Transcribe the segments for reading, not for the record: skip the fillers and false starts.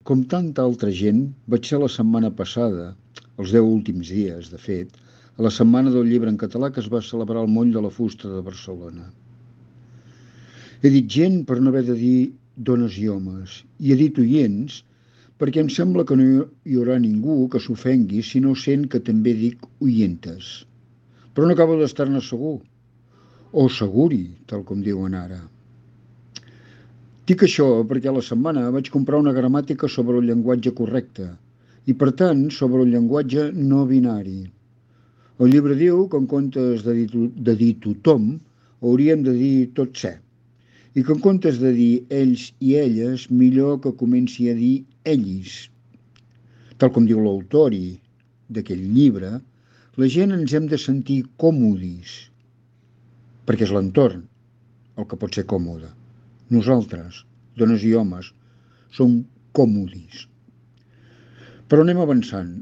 Com tanta altra gent, vaig ser la setmana passada, els 10 últims dies, de fet, a la Setmana del Llibre en Català que es va celebrar al Moll de la Fusta de Barcelona. He dit gent per no haver de dir dones i homes, i he dit oients perquè em sembla que no hi haurà ningú que s'ofengui si no sent que també dic oientes. Però no acabo d'estar-ne segur, o seguri, tal com diuen ara. Dic això perquè a la setmana vaig comprar una gramàtica sobre el llenguatge correcte i, per tant, sobre el llenguatge no binari. El llibre diu que en comptes de dir tothom, hauríem de dir tot ser, i que en comptes de dir ells i elles, millor que comenci a dir ells. Tal com diu l'autor d'aquell llibre, la gent ens hem de sentir còmodis, perquè és l'entorn el que pot ser còmode. Nosaltres, dones i homes, som còmodis. Però anem avançant.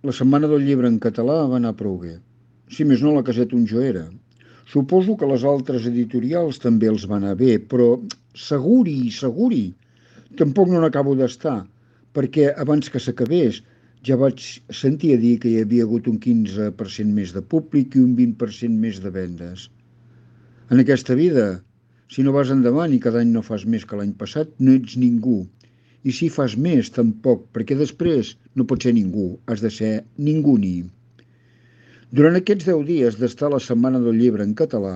La Setmana del Llibre en català va anar prou bé. Si més no, la caseta on jo era. Suposo que les altres editorials també els van anar bé, però seguri, tampoc no n'acabo d'estar, perquè abans que s'acabés ja vaig sentir a dir que hi havia hagut un 15% més de públic i un 20% més de vendes. En aquesta vida, si no vas endavant i cada any no fas més que l'any passat, no ets ningú. I si fas més, tampoc, perquè després no pots ser ningú, has de ser ningú ni. Durant aquests 10 dies d'estar a la Setmana del Llibre en català,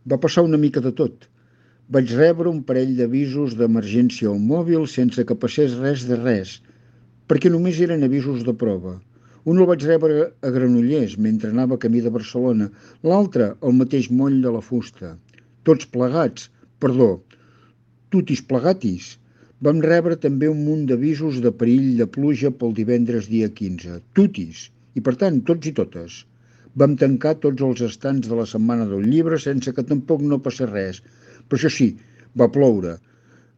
va passar una mica de tot. Vaig rebre un parell d'avisos d'emergència al mòbil sense que passés res de res, perquè només eren avisos de prova. Un el vaig rebre a Granollers, mentre anava camí de Barcelona, l'altre al mateix moll de la Fusta. Tots plegats, tutis plegatis. Vam rebre també un munt d'avisos de perill de pluja pel divendres dia 15, tutis, i per tant, tots i totes. Vam tancar tots els estants de la Setmana del Llibre sense que tampoc no passés res. Però això sí, va ploure.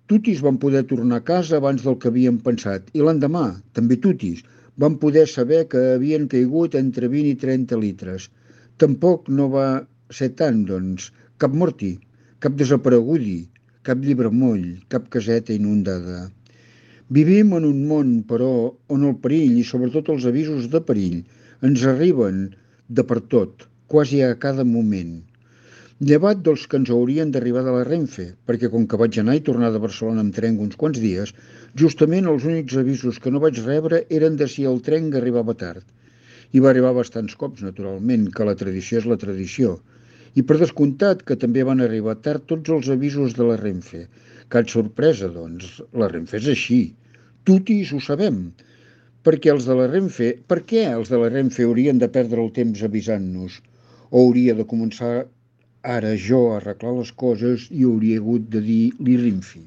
Tutis van poder tornar a casa abans del que havíem pensat, i l'endemà, també tutis, van poder saber que havien caigut entre 20 i 30 litres. Tampoc no va ser tant, doncs, cap morti, cap desaparegudi, cap llibre moll, cap caseta inundada. Vivim en un món, però, on el perill i sobretot els avisos de perill ens arriben de per tot, quasi a cada moment. Llevat dels que ens haurien d'arribar de la Renfe, perquè com que vaig anar i tornar de Barcelona amb tren uns quants dies, justament els únics avisos que no vaig rebre eren de si el tren arribava tard. I va arribar bastants cops, naturalment, que la tradició és la tradició. I per descomptat que també van arribar tard tots els avisos de la Renfe. Cap sorpresa, doncs, la Renfe és així. Tutis ho sabem. Per què els de la Renfe haurien de perdre el temps avisant-nos? O hauria de començar ara jo a arreglar les coses i hauria hagut de dir l'Irinfi?